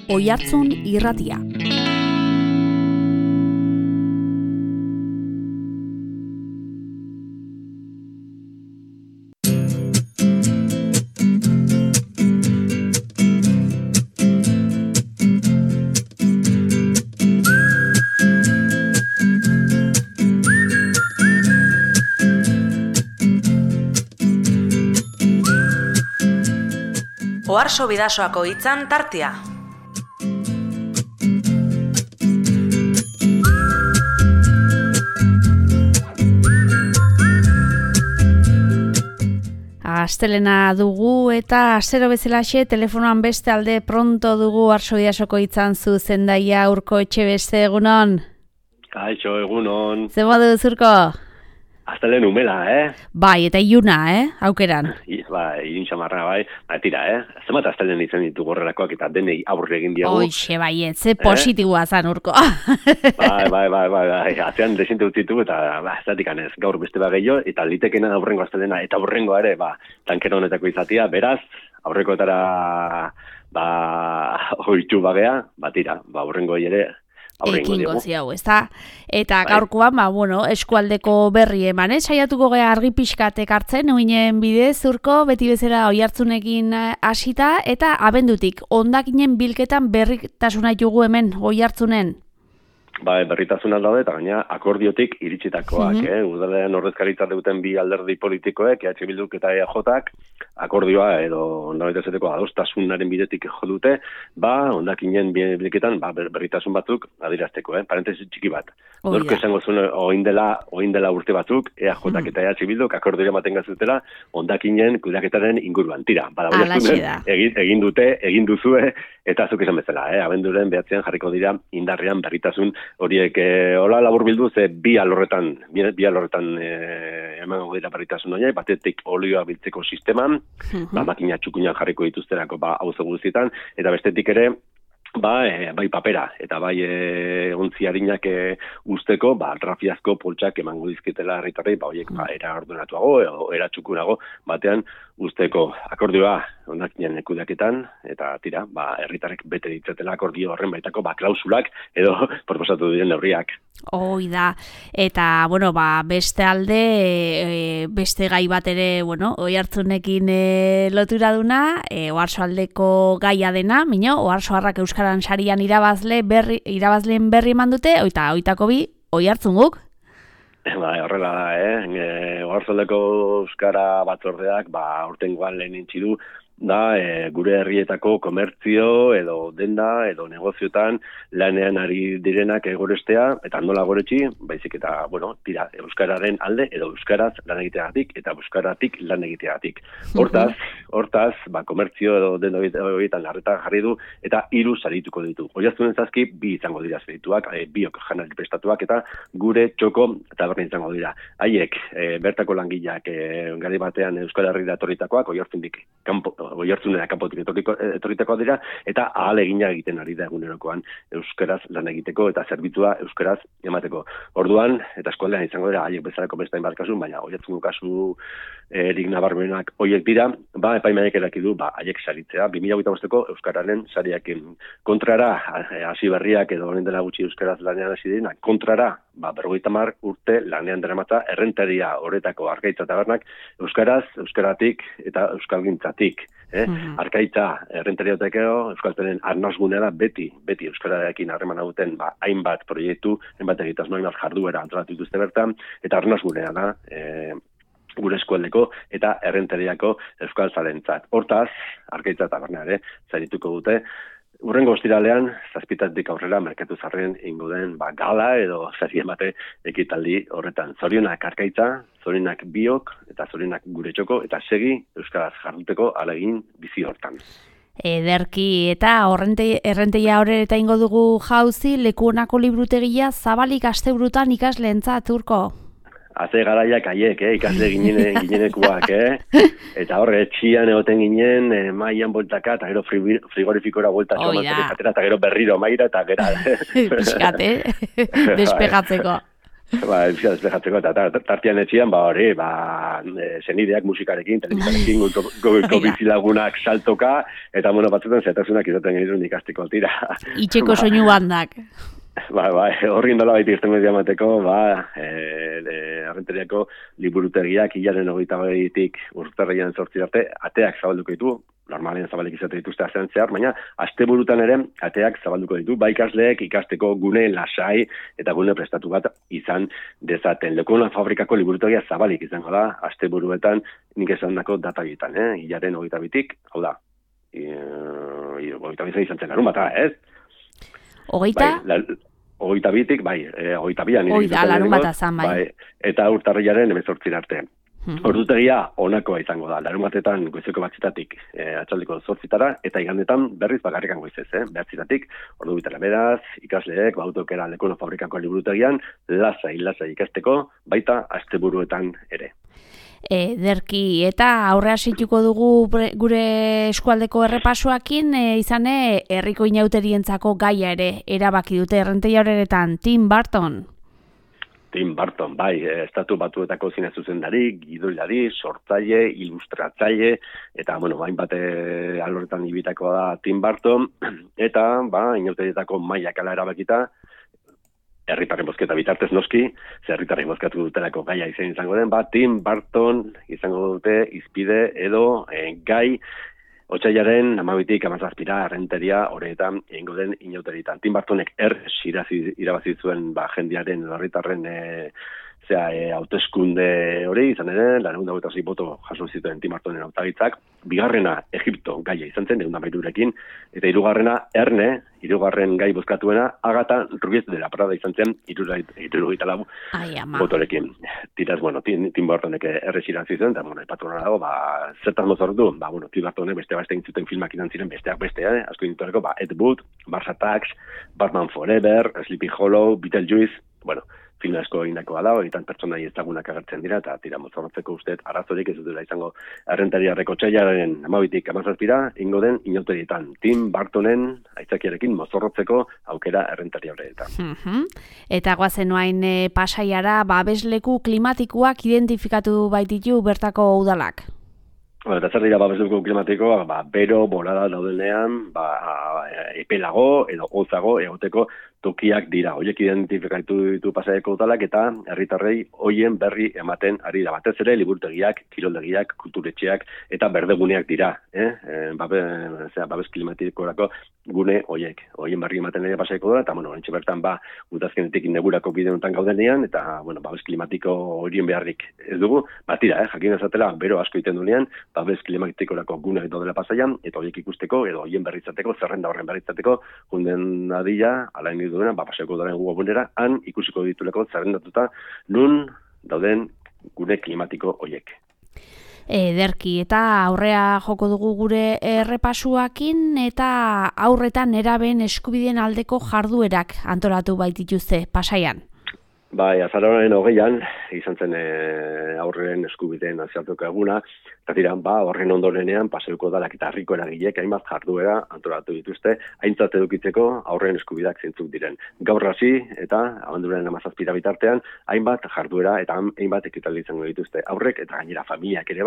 Oihartzun Irratia. Oharso Bidasoako hitzan tartea. Astelena dugu eta astero bezalaxe telefonoan beste alde pronto dugu Oharso Bidasoko hitzan zuzendaia Urko Etxebeste, egunon. Kaixo, egunon. Zer modu Urko? Astelen umela, Bai, eta iluna, aukeran. Ilun xamarra, bai. Tira, Zemat astelen izan ditugu horrelakoak eta denei aurre egin diagu. Hoxe, bai, ze positiboa zan, Urko. Bai. Atzean desinte utzitugu eta ez datik anez. Gaur beste gehiago eta litekena aurrengo astelena eta aurrengo ere, tankera honetako izatia. Beraz, aurrekoetara, oitu bagea, tira, aurrengo ere, ekingo ziau, ezta? Eta gaurkoan, eskualdeko berri eman, saiatuko gea argi pixkatek hartzen, uinen bidez, Urko, beti bezala Oihartzunekin hasita, eta abendutik, hondakinen bilketan berritasuna ditugu hemen Oihartzunen. Berritasunak daude, eta gaina akordiotik iritsitakoak, Udalean ordezkaritza duten bi alderdi politikoek, EH Bilduk eta EAJak, akordioa edo ondabetezateko adostasunaren bidetik jo dute, hondakinen bilketan berritasun batzuk adirazteko, parentesi txiki bat. Norko esango zuen oin dela urte batzuk, EAJak eta EH Bilduk akordioa ematen gazutela, hondakinen kudeaketaren inguruan. Tira, egin dute, egin duzue, eta zuk esan bezala, abenduren behatzean jarriko dira indarrean berritasun horiek hola labur bildu, ze bi alorretan emango dira berritasun horiek, batetik olioa biltzeko sisteman, makina txukunak jarriko dituzterako hauze guztietan, eta bestetik ere, bai papera, eta bai ontzi harinak usteko, rafiazko poltsak emango dizkitela herritarrei, horiek era ordenatuago, edo era txukunago, batean usteko akordioa hondakinen kudeaketan, eta tira, herritarrek bete ditzatela akordio horren baitako klausulak, edo proposatu diren neurriak. Hoi da, eta, beste alde, beste gai bat ere, Oihartzunekin lotura duna, Oarsoaldeko gaia dena, Oarsoarrak Euskaran sarian irabazleen berri eman dute, oitako bi, Oihartzun guk? Horrela da, Oarsoaldeko Euskara batzordeak, aurtengoan lehen intzidu, gure herrietako komertzio edo denda edo negozioetan lanean ari direnak egorestea eta nola goretsi, baizik eta, tira, euskararen alde edo euskaraz lan egiteagatik eta euskaratik lan egiteagatik. Hortaz, komertzio edo denda horietan larretan jarri du eta 3 sarituko ditu. Oihartzunen zazki 2 izango dira sarituak, biok janari prestatuak eta gure txoko taberna izango dira. Haiek, bertako langileak gari batean Euskal Herrira etorritakoak, Oihartzunera kanpotik etorritakoak dira, eta ahalegina egiten ari da egunerokoan euskaraz lan egiteko eta zerbitzua euskaraz emateko. Orduan, eta eskualdean izango dira haiek bezalako beste hainbat kasu, baina Oihartzungo kasu erik nabarmenak horiek dira, epaimaiak eraki du, haiek saritzea, 2025ko euskararen sariakin kontrara, hasi berriak edo horren dela gutxi euskaraz lanean hasi dira, kontrara, 50 urte lanean daramatza errentaria horretako Arkaitza tabernak euskaraz, euskaratik eta euskalgintzatik. Arkaitza errentariatekeo, euskaltenen arnazgunea da beti euskararekin harremana duten hainbat proiektu, hainbat egitasmo, hainbat jarduera antolatu dituzte bertan, eta arnazgunea da gure eskualdeko eta errentariako euskaltzalentzat. Hortaz, Arkaitza taberna zarituko dute, urrengo ostiralean, 7 aurrera merkatu zarren ingo den gala edo zari emate ekitaldi horretan. Zorionak Arkaitza, zorionak biok eta zorionak gure txoko eta segi euskaraz jarduteko ahalegin bizi hortan. Ederki eta errenteia horreta ingo dugu jauzi, Lekuonako librutegia zabalik asteburutan ikasleentzat, Urko. Haze garaiak haiek, ikasle ginenekuak, eta horre, etxian egoten ginen, maian boltaka, eta gero frigorifikora bolta somatzeko, eta gero berriro maira, eta gero. Piskate, despegatzeko. Euskara despejatzeko, eta tartean etxian, hori, senideak musikarekin, telebizarekin, goiko bizilagunak saltoka, eta batzutan zetasunak izaten genituen ikasteko tira. Itxeko soinu bandak. Horri nola baita irten media mateko, Arrenteriako liburutegiak hilaren 28tik urtarrian 8 arte, ateak zabalduko ditu, normalean zabalik izate dituzte astean zehar, baina asteburutan ere ateak zabalduko ditu, ikasleek ikasteko gune lasai eta gune prestatu bat izan dezaten. Lekona fabrikako liburutegia zabalik izango da, asteburuetan nik esandako data bitan, hilaren 22tik, hau da, 22 izan zen larun bata, ez? 22tik, 22an. Larun bata zan, bai. Eta urtarrilaren 18 arte. Ordutegia onakoa izango da. Larun batetan goizeko 8tatik atxaldeko 8tara, eta igandetan berriz bakarrikan goizez, 9tatik, ordu bitara beraz, ikasleek, autokera Lekona fabrikako liburutegian, lasai ikasteko, baita asteburuetan ere. Derki, eta aurrea situko dugu gure eskualdeko errepasoakin, izane herriko inauterientzako gaia ere erabaki dute Errenteria horretan, Tim Burton. Tim Burton, estatu batuetako zine zuzendari, gidoilari, sortzaile, ilustratzaile, eta, hainbat alorretan ibitakoa da Tim Burton, eta, inauterietako mailak ala erabakita, herritarren bozketa bitartez noski, herritarren bozkatu dutelako gaia izango den, Tim Burton izango dute izpide edo gai otsailaren 12tik 17ra Errenteria horretan egingo den inauteritan. Tim Burtonek irabazi zuen jendearen herritarren hauteskunde hori izan ere, 226 boto jaso zituen Tim Burtonen hautagitzak, bigarrena Egipto gaia izan zen, 213rekin, eta hirugarren gai bozkatuena, Agatha Ruiz de la Prada izan zen, 74 botorekin. Tiraz, Tim Burtonek irabazi zuen, eta, ipatu hona dago, zertaz mozortu, Tim Burtonek beste egin zuten filmak izan ziren besteak beste, asko dintuareko, Ed Wood, Mars Attacks, Batman Forever, Sleepy Hollow, Beetlejuice, film asko egindakoa da, horitan pertsonai ezagunak agertzen dira, eta tira mozorrotzeko usteet arazorik ez dutela izango Errentariarreko txailaren 12tik 17ra ingo den inauterietan. Tim Burtonen aitzakiarekin mozorrotzeko aukera Errentaria horretan. Eta guazenuain Pasaiara, babesleku klimatikoak identifikatu baititu bertako udalak. Eta zer dira babesleku klimatikoa, bero, bolada daudenean, epelago edo hotzago egoteko tokiak dira. Horiek identifikatu ditu Pasaiako udalak eta herritarrei hoien berri ematen ari da. Batez ere liburutegiak, kiroldegiak, kulturetxeak eta berdeguneak dira. Babes klimatikorako gune horiek. Hoien berri ematen ari Pasaiako udala, eta horrentxe bertan udazkenetik negurako bide honetan gaudenean, eta babes klimatiko horien beharrik ez dugu. Tira, jakin ezatela, bero asko iten dunean, babes klimatikorako gune daudela Pasaian, eta horiek ikusteko, edo horien berritzateko, zerrenda horren berritzateko, junden adila, alain duena, Pasaiako udalaren webgunera, han ikusiko dituleko zerrendatuta nun dauden gune klimatiko horiek. Derki, eta aurrea joko dugu gure errepasuakin, eta aurretan eraben eskubideen aldeko jarduerak antolatu baitituzte Pasaian. Azaroaren 20an, izan zen aurren eskubideen nazioarteko eguna, eta dira, horren ondorenean Pasaiako udalak eta herriko eragileek hainbat jarduera antolatu dituzte, aintzat edukitzeko aurren eskubideak zeintzuk diren. Gaur hasi eta abenduraren 17 bitartean, hainbat jarduera eta hainbat ekitaldi izango dituzte. Aurrek eta gainera familiak ere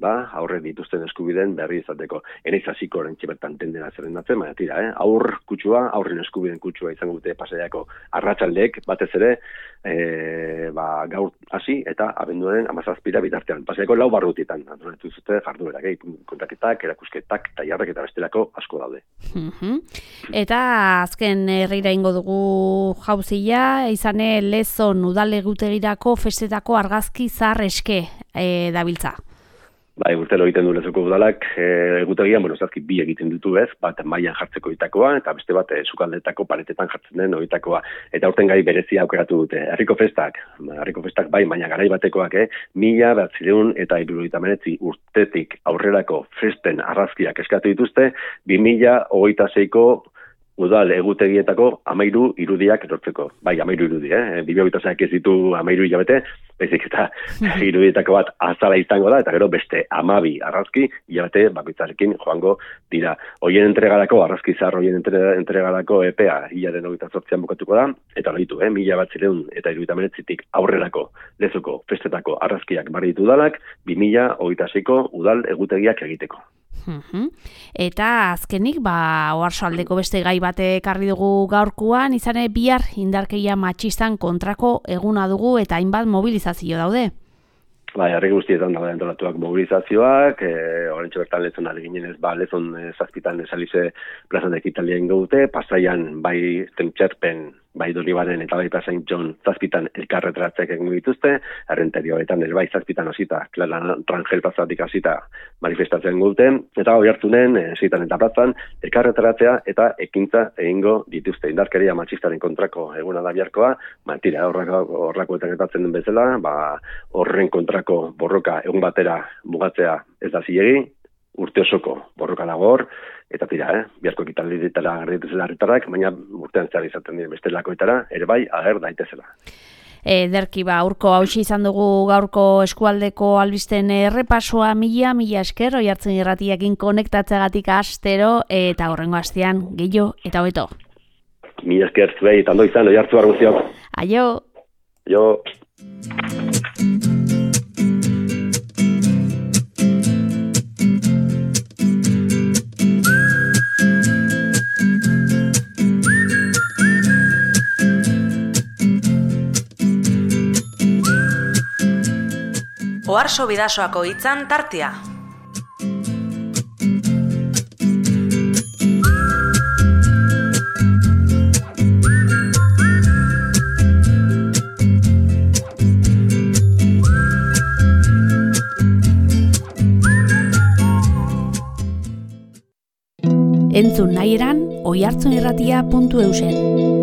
aurrek dituzten eskubideen berri izateko. Eneiz hasiko orentxe bertan tendena zerrendatzen, baina tira, aurren eskubideen kutsua izango dute Pasaiako arratsaldeek, batez ere, gaur hasi eta abenduaren 17 bitartean. Pasaiako 4 barrutietan antolatu zute jarduerak, kontaketak, erakusketak, tailarrak eta bestelako asko daude. Eta azken herrira ingo dugu jauzia, izane Lezon udalegutegirako festetako argazki zahar eske dabiltza. Urtero egiten du Lezoko udalak, egutegian, zazki bi egiten ditu bat mailan jartzeko oitakoa, eta beste bat sukaldetako paretetan jartzen den oitakoa. Eta urten gai berezia aukeratu dute. Herriko festak baina garai batekoak, 1979 urtetik aurrerako festen argazkiak eskatu dituzte, 2026ko udal egutegietako 13 irudiak erortzeko. Bai, 13 irudi, bibliobitasak ez ditu 13 hilabete, baizik eta irudietako bat azala izango da, eta gero beste 12 argazki hilabete bakoitzarekin joango dira. Hoien entregarako, argazki zahar hoien entregarako epea hilaren 28an bukatuko da, eta horitu, 1979tik aurrerako Lezoko festetako argazkiak barri ditu udalak, 2026ko udal egutegiak egiteko. Eta azkenik, Oarsoaldeko beste gai bate ekarri dugu gaurkoan, izan bihar indarkeria matxistan kontrako eguna dugu eta hainbat mobilizazio daude. Herri guztietan daude antolatuak mobilizazioak, oraintxe bertan Lezon aleginenez, Lezon zazpitan esalize plazan ekitalien gaute, Pasaian bai Tentxerpen, bai Donibaren eta bai Saint John zazpitan elkarretratzeak egin dituzte, Errenterioetan bai zazpitan hasita, Clara Rangel plazatik hasita manifestatzen guten, eta Oiartzunen, Seitan eta plazan, elkarretratzea eta ekintza egingo dituzte. Indarkeria matxistaren kontrako eguna da biharkoa, tira, horrakoetan gertatzen den bezala, horren kontrako borroka egun batera mugatzea ez da zilegi, urte osoko borroka dago hor, eta tira, biharko ekitaldietara garrituzela herritarrak, baina urtean zehar izaten diren bestelakoetara, ere bai, ager daitezela. Ederki, urko hauxe izan dugu gaurko eskualdeko albisten errepasoa, mila esker, Oiartzun irratiakin konektatzeagatik astero, eta horrengo astean, gehiago eta hobeto. Mila esker zuei, eta ondo izan, Oiartzu arguziok. Aio! Aio! Oarso Bidasoako hitzan tartea. Entzun nahi eran, oiartzunirratia.eusen.